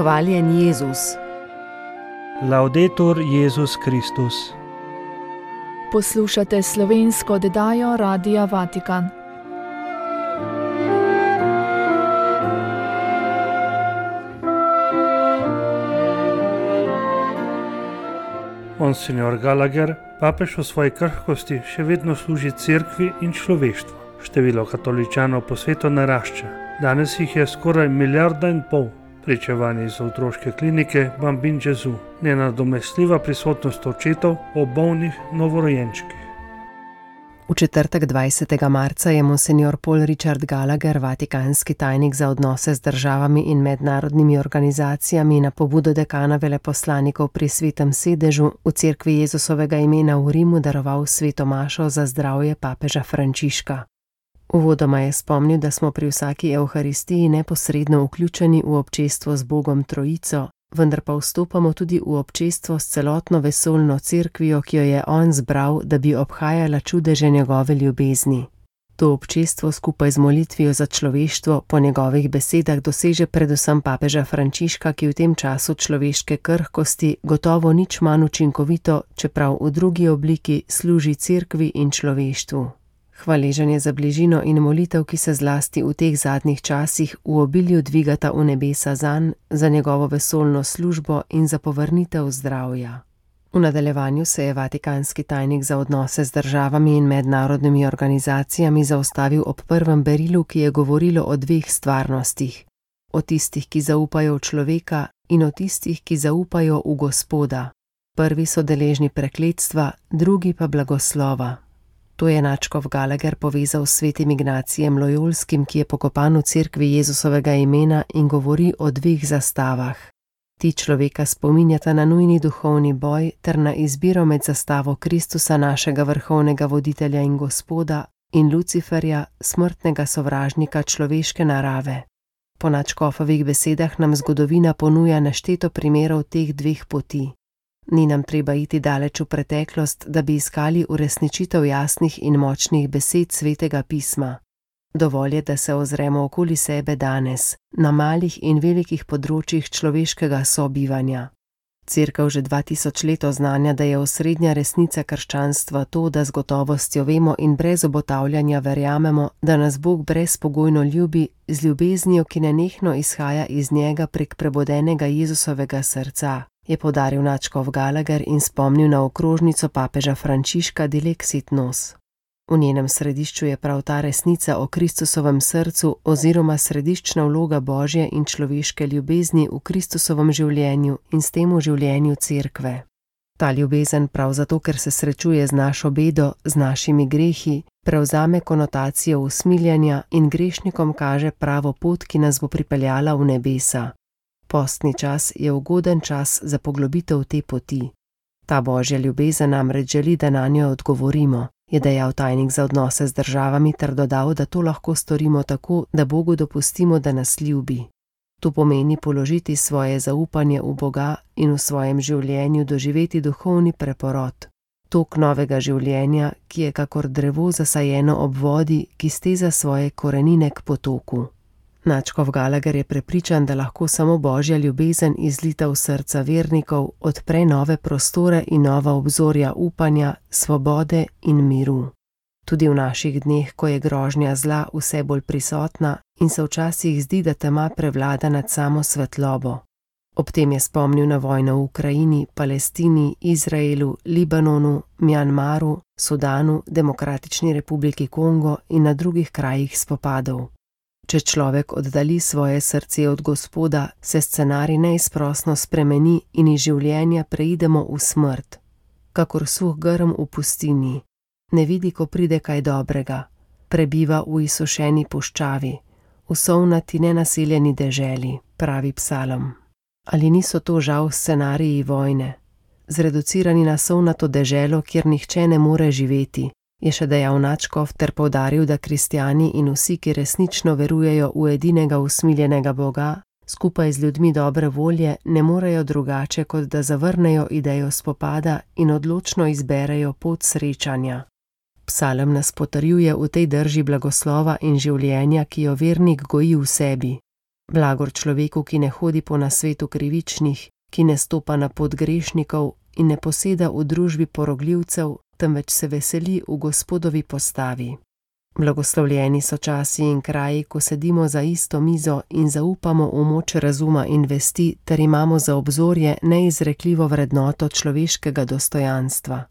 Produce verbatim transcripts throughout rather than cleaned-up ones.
Hvaljen Jezus. Laudetur Jezus Kristus. Poslušate slovensko oddajo Radia Vatikan. Monsignor Gallagher, papež v svoji krhkosti še vedno služi cerkvi in človeštvu. Število katoličanov po svetu narašča. Danes jih je skoraj milijarda in pol. Pričevanje iz otroške klinike Bambin Gesù. Nenadomestljiva prisotnost očetov o bolnih novorojenčkih. V četrtek dvajsetega marca je monsignor Paul Richard Gallagher, vatikanski tajnik za odnose z državami in mednarodnimi organizacijami, na pobudo dekana veleposlanikov pri Svetem sedežu v cerkvi Jezusovega imena v Rimu daroval sveto mašo za zdravje papeža Frančiška. Uvodoma je spomnil, da smo pri vsaki evharistiji neposredno vključeni v občestvo z Bogom Trojico, vendar pa vstopamo tudi v občestvo s celotno vesoljno cerkvijo, ki jo je on zbral, da bi obhajala čudeže njegove ljubezni. To občestvo skupaj z molitvijo za človeštvo po njegovih besedah doseže predvsem papeža Frančiška, ki v tem času človeške krhkosti gotovo nič manj učinkovito, čeprav v drugi obliki služi cerkvi in človeštvu. Hvaležen je za bližino in molitev, ki se zlasti v teh zadnjih časih v obilju dvigata v nebesa zanj, za njegovo vesoljno službo in za povrnitev zdravja. V nadaljevanju se je vatikanski tajnik za odnose z državami in mednarodnimi organizacijami zaustavil ob prvem berilu, ki je govorilo o dveh stvarnostih. O tistih, ki zaupajo v človeka, in o tistih, ki zaupajo v Gospoda. Prvi so deležni prekletstva, drugi pa blagoslova. To je nadškof Gallagher povezal s svetim Ignacijem Lojolskim, ki je pokopan v cerkvi Jezusovega imena in govori o dveh zastavah. Ti človeka spominjata na nujni duhovni boj ter na izbiro med zastavo Kristusa, našega vrhovnega voditelja in Gospoda, in Luciferja, smrtnega sovražnika človeške narave. Po nadškofovih besedah nam zgodovina ponuja nešteto primerov teh dveh poti. Ni nam treba iti daleč v preteklost, da bi iskali uresničitev jasnih in močnih besed Svetega pisma. Dovolj je, da se ozremo okoli sebe danes, na malih in velikih področjih človeškega sobivanja. Cerkev že dva tisoč let oznanja, da je osrednja resnica krščanstva to, da z gotovostjo vemo in brez obotavljanja verjamemo, da nas Bog brezpogojno ljubi, z ljubeznijo, ki nenehno izhaja iz njega prek prebudenega Jezusovega srca, je poudaril nadškof Gallagher in spomnil na okrožnico papeža Frančiška Dilexit Nos. V njenem središču je prav ta resnica o Kristusovem srcu oziroma središčna vloga Božje in človeške ljubezni v Kristusovem življenju in s tem v življenju cerkve. Ta ljubezen prav zato, ker se srečuje z našo bedo, z našimi grehi, prevzame konotacijo usmiljanja in grešnikom kaže pravo pot, ki nas bo pripeljala v nebesa. Postni čas je ugoden čas za poglobitev te poti. Ta Božja ljubezen namreč želi, da nanjo odgovorimo, je dejal tajnik za odnose z državami ter dodal, da to lahko storimo tako, da Bogu dopustimo, da nas ljubi. To pomeni položiti svoje zaupanje v Boga in v svojem življenju doživeti duhovni preporod. Tok novega življenja, ki je kakor drevo zasajeno ob vodi, ki steza svoje korenine k potoku. Nadškof Gallagher je prepričan, da lahko samo Božja ljubezen izlita v srca vernikov odpre nove prostore in nova obzorja upanja, svobode in miru. Tudi v naših dneh, ko je grožnja zla vse bolj prisotna in se včasih zdi, da tema prevlada nad samo svetlobo. Ob tem je spomnil na vojno v Ukrajini, Palestini, Izraelu, Libanonu, Mjanmaru, Sudanu, Demokratični republiki Kongo in na drugih krajih spopadov. Če človek oddali svoje srce od Gospoda, se scenarij neizprosno spremeni in iz življenja preidemo v smrt. Kakor suh grm v pustini, ne vidi, ko pride kaj dobrega, prebiva v izsušeni puščavi, v sovnati nenaseljeni deželi, pravi psalm. Ali niso to žal scenariji vojne? Zreducirani na sovnato deželo, kjer nihče ne more živeti, je še dejal nadškof ter poudaril, da kristjani in vsi, ki resnično verujejo v edinega usmiljenega Boga, skupaj z ljudmi dobre volje ne morejo drugače, kot da zavrnejo idejo spopada in odločno izberejo pot srečanja. Psalm nas potrjuje v tej drži blagoslova in življenja, ki jo vernik goji v sebi. Blagor človeku, ki ne hodi po nasvetu krivičnih, ki ne stopa na pot grešnikov in ne poseda v družbi porogljivcev, temveč se veseli v Gospodovi postavi. Blagoslovljeni so časi in kraji, ko sedimo za isto mizo in zaupamo v moč razuma in vesti, ter imamo za obzorje neizrekljivo vrednoto človeškega dostojanstva.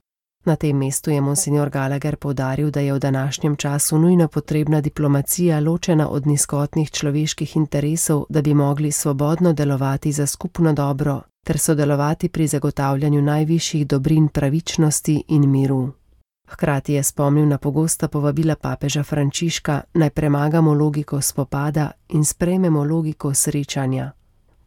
Na tem mestu je monsignor Gallagher poudaril, da je v današnjem času nujno potrebna diplomacija ločena od nizkotnih človeških interesov, da bi mogli svobodno delovati za skupno dobro ter sodelovati pri zagotavljanju najvišjih dobrin pravičnosti in miru. Hkrati je spomnil na pogosta povabila papeža Frančiška, naj premagamo logiko spopada in sprejmemo logiko srečanja.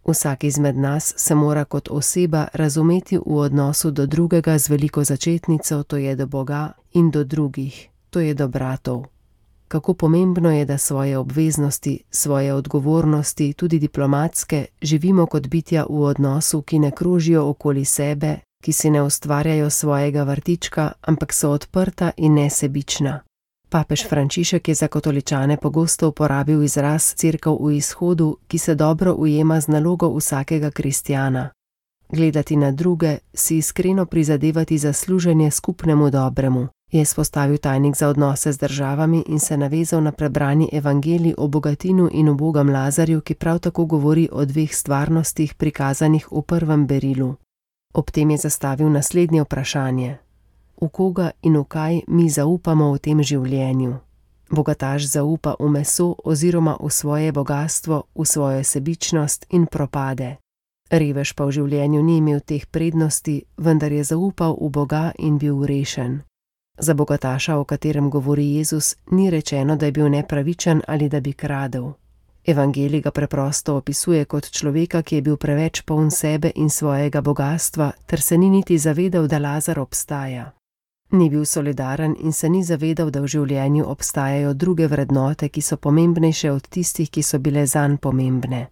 Vsak izmed nas se mora kot oseba razumeti v odnosu do drugega z veliko začetnico, to je do Boga, in do drugih, to je do bratov. Kako pomembno je, da svoje obveznosti, svoje odgovornosti, tudi diplomatske, živimo kot bitja v odnosu, ki ne krožijo okoli sebe, ki si ne ustvarjajo svojega vrtička, ampak so odprta in nesebična. Papež Frančišek je za katoličane pogosto uporabil izraz Cerkev v izhodu, ki se dobro ujema z nalogo vsakega kristjana. Gledati na druge, si iskreno prizadevati za služenje skupnemu dobremu, je izpostavil tajnik za odnose z državami in se navezal na prebrani evangelij o bogatinu in ubogem Lazarju, ki prav tako govori o dveh stvarnostih prikazanih v prvem berilu. Ob tem je zastavil naslednje vprašanje. V koga in v kaj mi zaupamo v tem življenju? Bogataš zaupa v meso oziroma v svoje bogastvo, v svojo sebičnost in propade. Revež pa v življenju ni imel teh prednosti, vendar je zaupal v Boga in bil rešen. Za bogataša, o katerem govori Jezus, ni rečeno, da je bil nepravičen ali da bi kradel. Evangelij ga preprosto opisuje kot človeka, ki je bil preveč poln sebe in svojega bogastva, ter se ni niti zavedal, da Lazar obstaja. Ni bil solidaren in se ni zavedal, da v življenju obstajajo druge vrednote, ki so pomembnejše od tistih, ki so bile zanj pomembne.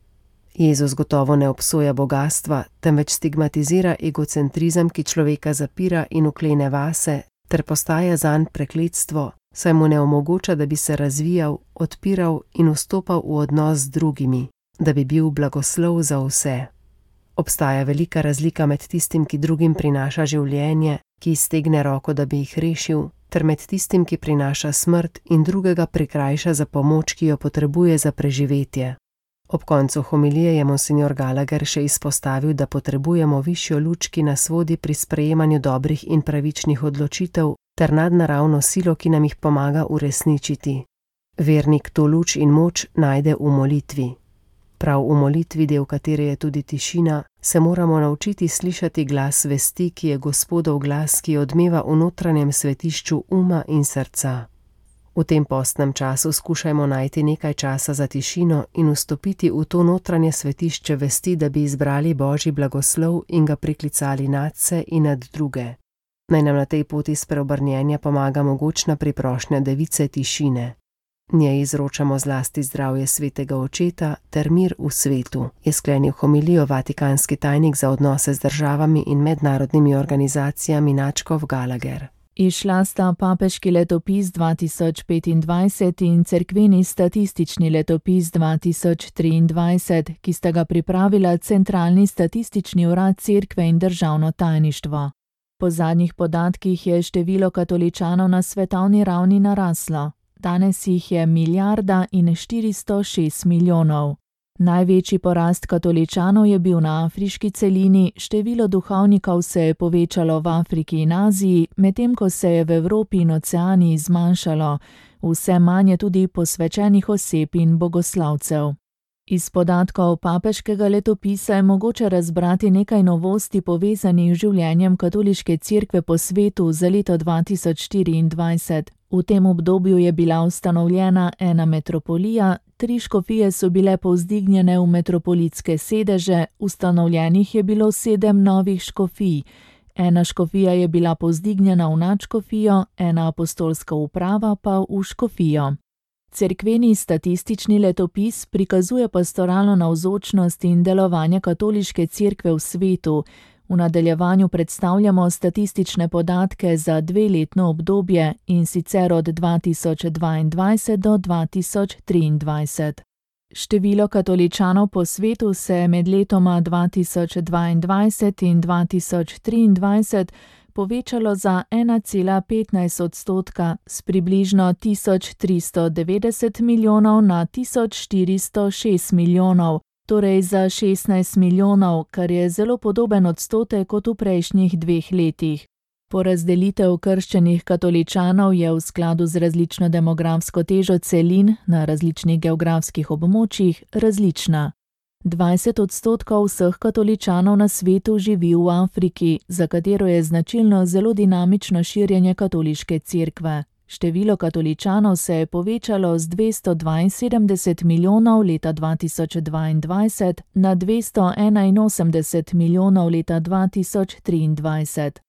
Jezus gotovo ne obsoja bogastva, temveč stigmatizira egocentrizem, ki človeka zapira in uklene vase, ter postaja zanj prekletstvo, saj mu ne omogoča, da bi se razvijal, odpiral in vstopal v odnos z drugimi, da bi bil blagoslov za vse. Obstaja velika razlika med tistim, ki drugim prinaša življenje, ki iztegne roko, da bi jih rešil, ter med tistim, ki prinaša smrt in drugega prikrajša za pomoč, ki jo potrebuje za preživetje. Ob koncu homilije je monsignor Gallagher še izpostavil, da potrebujemo višjo luč, ki nas vodi pri sprejemanju dobrih in pravičnih odločitev, ter nadnaravno silo, ki nam jih pomaga uresničiti. Vernik to luč in moč najde v molitvi. Prav v molitvi, del katere je tudi tišina, se moramo naučiti slišati glas vesti, ki je Gospodov glas, ki odmeva v notranjem svetišču uma in srca. V tem postnem času skušajmo najti nekaj časa za tišino in vstopiti v to notranje svetišče vesti, da bi izbrali Božji blagoslov in ga priklicali nadse in nad druge. Naj nam na tej poti spreobrnjenja pomaga mogočna priprošnja device tišine. Njej izročamo zlasti zdravje svetega očeta ter mir v svetu, je sklenil homilijo vatikanski tajnik za odnose z državami in mednarodnimi organizacijami Načkov Gallagher. Izšla sta papeški letopis dva tisoč petindvajset in cerkveni statistični letopis dva tisoč triindvajset, ki sta ga pripravila Centralni statistični urad Cerkve in državno tajništvo. Po zadnjih podatkih je število katoličanov na svetovni ravni naraslo. Danes jih je milijarda in štiristo šest milijonov. Največji porast katoličanov je bil na afriški celini, število duhovnikov se je povečalo v Afriki in Aziji, medtem ko se je v Evropi in Oceaniji zmanjšalo, vse manj je tudi posvečenih oseb in bogoslavcev. Iz podatkov papeškega letopisa je mogoče razbrati nekaj novosti povezanih z življenjem katoliške cerkve po svetu za leto dva tisoč štiriindvajset. V tem obdobju je bila ustanovljena ena metropolija, tri škofije so bile povzdignjene v metropolitske sedeže, ustanovljenih je bilo sedem novih škofij. Ena škofija je bila povzdignjena v nadškofijo, ena apostolska uprava pa v škofijo. Cerkveni statistični letopis prikazuje pastoralno navzočnost in delovanje katoliške cerkve v svetu. V nadaljevanju predstavljamo statistične podatke za dveletno obdobje, in sicer od dva tisoč dvaindvajset do dva tisoč triindvajset. Število katoličanov po svetu se je med letoma dva tisoč dvaindvajset in dva tisoč triindvajset povečalo za ena cela petnajst odstotka s približno tisoč tristo devetdeset milijonov na tisoč štiristo šest milijonov, torej za šestnajst milijonov, kar je zelo podoben odstotek kot v prejšnjih dveh letih. Porazdelitev krščenih katoličanov je v skladu z različno demografsko težo celin na različnih geografskih območjih različna. dvajset odstotkov vseh katoličanov na svetu živi v Afriki, za katero je značilno zelo dinamično širjenje katoliške cerkve. Število katoličanov se je povečalo z dvesto dvainsedemdeset milijonov leta dva tisoč dvaindvajset na dvesto enainosemdeset milijonov leta dva tisoč triindvajset.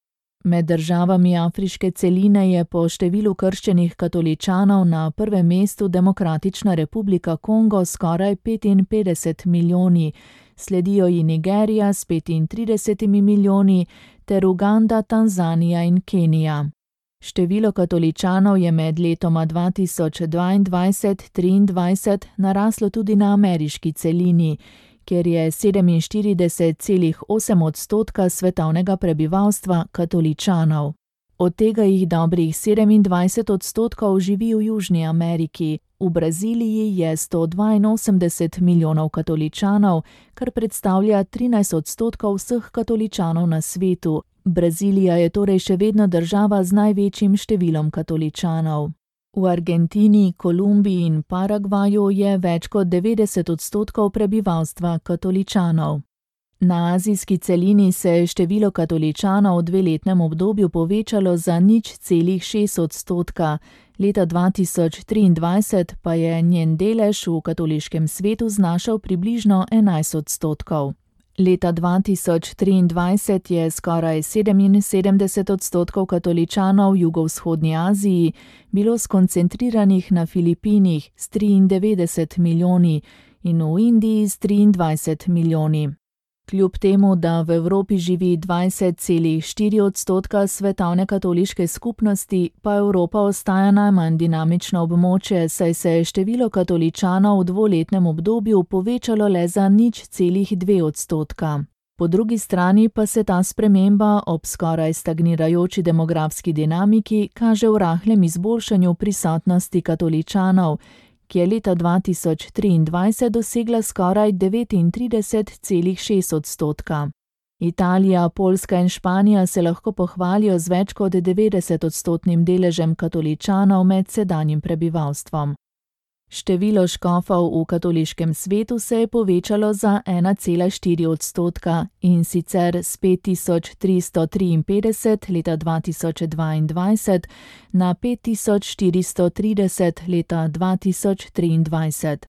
Med državami afriške celine je po številu krščenih katoličanov na prvem mestu Demokratična republika Kongo s skoraj petinpetdeset milijoni, sledijo ji Nigerija s petintridesetimi milijoni ter Uganda, Tanzanija in Kenija. Število katoličanov je med letoma dva tisoč dvaindvajset do triindvajset naraslo tudi na ameriški celini, kjer je sedeminštirideset celih osem odstotka svetovnega prebivalstva katoličanov. Od tega jih dobrih sedemindvajset odstotkov živi v Južni Ameriki. V Braziliji je sto dvainosemdeset milijonov katoličanov, kar predstavlja trinajst odstotkov vseh katoličanov na svetu. Brazilija je torej še vedno država z največjim številom katoličanov. V Argentini, Kolumbiji in Paragvaju je več kot devetdeset odstotkov prebivalstva katoličanov. Na azijski celini se je število katoličanov v dveletnem obdobju povečalo za nič celih šest odstotka, leta dva tisoč triindvajset pa je njen delež v katoliškem svetu znašal približno enajst odstotkov. Leta dva tisoč triindvajset je skoraj sedeminsedemdeset odstotkov katoličanov v jugovzhodni Aziji bilo skoncentriranih na Filipinih s triindevetdeset milijoni in v Indiji s triindvajset milijoni. Kljub temu, da v Evropi živi dvajset celih štiri odstotka svetovne katoliške skupnosti, pa Evropa ostaja najmanj dinamično območje, saj se je število katoličanov v dvoletnem obdobju povečalo le za nič celih dve odstotka. Po drugi strani pa se ta sprememba ob skoraj stagnirajoči demografski dinamiki kaže v rahlem izboljšanju prisotnosti katoličanov, ki je leta dva tisoč triindvajset dosegla skoraj devetintrideset celih šest odstotka. Italija, Poljska in Španija se lahko pohvalijo z več kot devetdeset odstotnim deležem katoličanov med sedanjim prebivalstvom. Število škofov v katoliškem svetu se je povečalo za ena cela štiri odstotka in sicer s pet tisoč tristo triinpetdeset leta dva tisoč dvaindvajset na pet tisoč štiristo trideset leta dva tisoč triindvajset.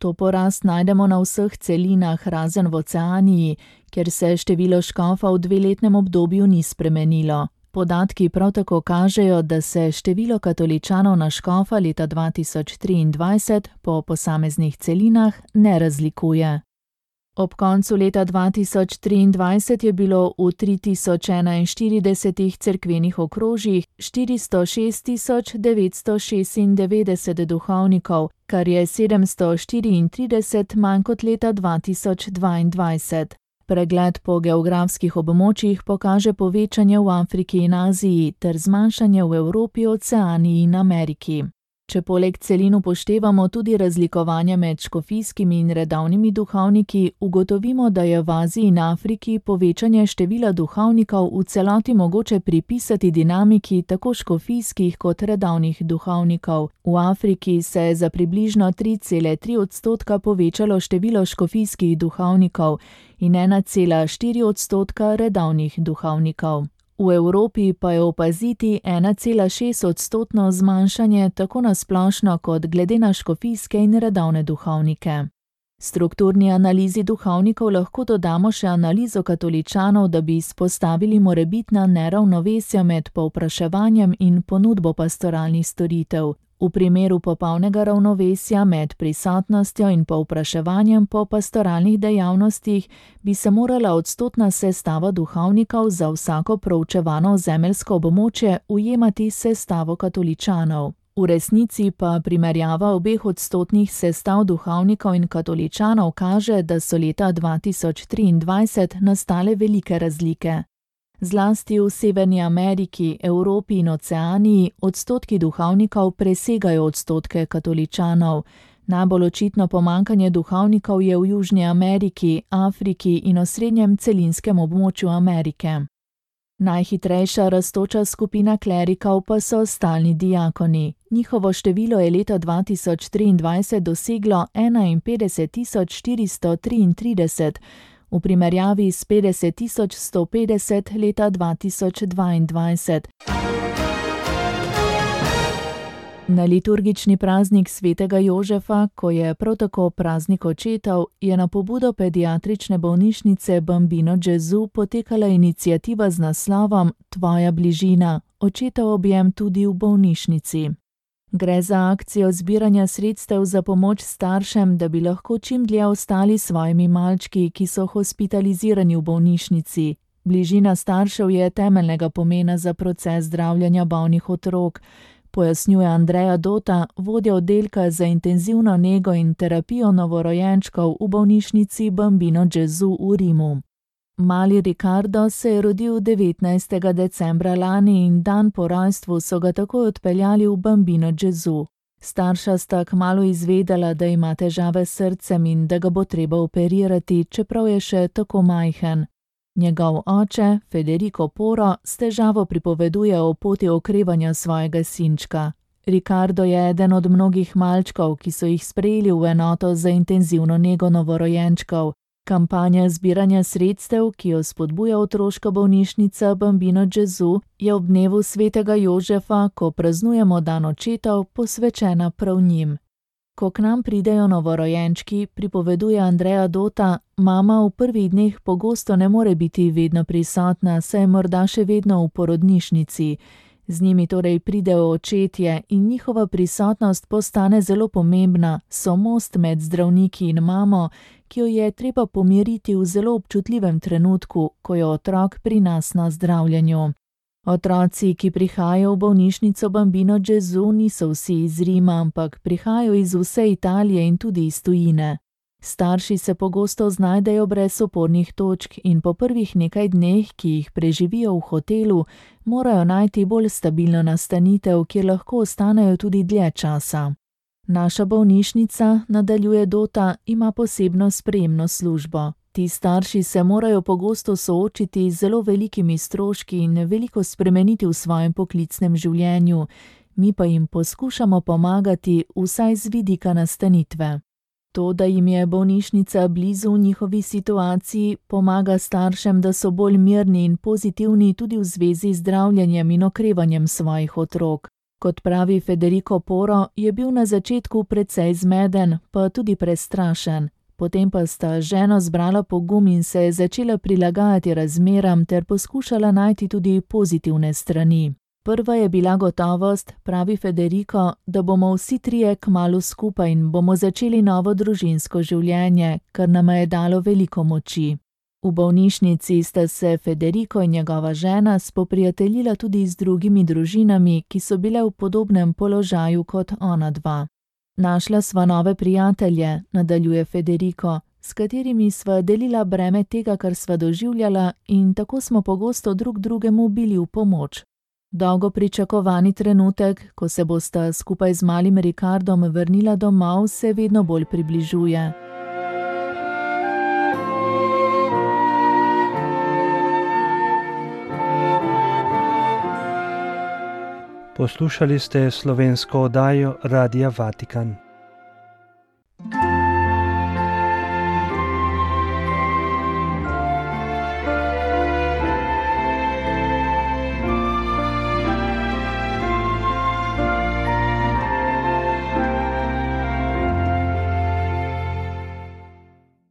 To porast najdemo na vseh celinah razen v Oceaniji, kjer se število škofov v dveletnem obdobju ni spremenilo. Podatki prav tako kažejo, da se število katoličanov na škofa leta dva tisoč triindvajset po posameznih celinah ne razlikuje. Ob koncu leta dva tisoč triindvajset je bilo v tri tisoč enainštiridesetih cerkvenih okrožjih štiristo šest tisoč devetsto šestindevetdeset duhovnikov, kar je sedemsto štiriintrideset manj kot leta dva tisoč dvaindvajset. Pregled po geografskih območjih pokaže povečanje v Afriki in Aziji ter zmanjšanje v Evropi, Oceaniji in Ameriki. Če poleg celin upoštevamo tudi razlikovanja med škofijskimi in redovnimi duhovniki, ugotovimo, da je v Aziji in Afriki povečanje števila duhovnikov v celoti mogoče pripisati dinamiki tako škofijskih kot redovnih duhovnikov. V Afriki se je za približno tri cele tri odstotka povečalo število škofijskih duhovnikov in ena cela štiri odstotka redovnih duhovnikov. V Evropi pa je opaziti ena cela šest odstotno zmanjšanje tako na splošno kot glede na škofijske in redovne duhovnike. Strukturni analizi duhovnikov lahko dodamo še analizo katoličanov, da bi izpostavili morebitna neravnovesja med povpraševanjem in ponudbo pastoralnih storitev. V primeru popolnega ravnovesja med prisotnostjo in povpraševanjem po pastoralnih dejavnostih bi se morala odstotna sestava duhovnikov za vsako proučevano zemeljsko območje ujemati s sestavo katoličanov. V resnici pa primerjava obeh odstotnih sestav duhovnikov in katoličanov kaže, da so leta dva tisoč triindvajset nastale velike razlike. Zlasti v Severni Ameriki, Evropi in Oceaniji odstotki duhovnikov presegajo odstotke katoličanov. Najbolj očitno pomanjkanje duhovnikov je v Južni Ameriki, Afriki in osrednjem celinskem območju Amerike. Najhitrejša rastoča skupina klerikov pa so stalni diakoni. Njihovo število je leta dva tisoč triindvajset doseglo enainpetdeset tisoč štiristo triintrideset, v primerjavi s petdeset tisoč sto petdeset leta dva tisoč dvaindvajset. Na liturgični praznik svetega Jožefa, ko je prav tako praznik očetov, je na pobudo pediatrične bolnišnice Bambino Gesù potekala iniciativa z naslovom Tvoja bližina, očetov objem tudi v bolnišnici. Gre za akcijo zbiranja sredstev za pomoč staršem, da bi lahko čim dlje ostali s svojimi malčki, ki so hospitalizirani v bolnišnici. Bližina staršev je temeljnega pomena za proces zdravljenja bolnih otrok, pojasnjuje Andrea Dota, vodja oddelka za intenzivno nego in terapijo novorojenčkov v bolnišnici Bambino Gesù v Rimu. Mali Ricardo se je rodil devetnajstega decembra lani in dan po rojstvu so ga takoj odpeljali v Bambino Gesù. Starša sta kmalu izvedela, da ima težave s srcem in da ga bo treba operirati, čeprav je še tako majhen. Njegov oče, Federico Porro, s težavo pripoveduje o poti okrevanja svojega sinčka. Ricardo je eden od mnogih malčkov, ki so jih sprejeli v enoto za intenzivno nego novorojenčkov. Kampanja zbiranja sredstev, ki jo spodbuja otroška bolnišnica Bambino Gesù, je ob dnevu svetega Jožefa, ko praznujemo dan očetov, posvečena prav njim. Ko k nam pridejo novorojenčki, pripoveduje Andrea Dota, mama v prvih dneh pogosto ne more biti vedno prisotna, saj je morda še vedno v porodnišnici. Z njimi torej pridejo očetje in njihova prisotnost postane zelo pomembna, so most med zdravniki in mamo, ki jo je treba pomiriti v zelo občutljivem trenutku, ko je otrok pri nas na zdravljenju. Otroci, ki prihajajo v bolnišnico Bambino Gesù, niso vsi iz Rima, ampak prihajajo iz vse Italije in tudi iz tujine. Starši se pogosto znajdejo brez opornih točk in po prvih nekaj dneh, ki jih preživijo v hotelu, morajo najti bolj stabilno nastanitev, kjer lahko ostanejo tudi dlje časa. Naša bolnišnica, nadaljuje Dota, ima posebno sprejemno službo. Ti starši se morajo pogosto soočiti z zelo velikimi stroški in veliko spremeniti v svojem poklicnem življenju, mi pa jim poskušamo pomagati vsaj z vidika nastanitve. To, da jim je bolnišnica blizu v njihovi situaciji, pomaga staršem, da so bolj mirni in pozitivni tudi v zvezi z zdravljenjem in okrevanjem svojih otrok. Kot pravi Federico Porro, je bil na začetku precej zmeden, pa tudi prestrašen. Potem pa sta ženo zbrala pogum in se začela prilagajati razmeram ter poskušala najti tudi pozitivne strani. Prva je bila gotovost, pravi Federico, da bomo vsi trije kmalu skupaj in bomo začeli novo družinsko življenje, kar nama je dalo veliko moči. V bolnišnici sta se Federico in njegova žena spoprijateljila tudi z drugimi družinami, ki so bile v podobnem položaju kot ona dva. Našla sva nove prijatelje, nadaljuje Federico, s katerimi sva delila breme tega, kar sva doživljala in tako smo pogosto drug drugemu bili v pomoč. Dolgo pričakovani trenutek, ko se bosta skupaj z malim Ricardom vrnila domov, se vedno bolj približuje. Poslušali ste slovensko oddajo Radia Vatikan.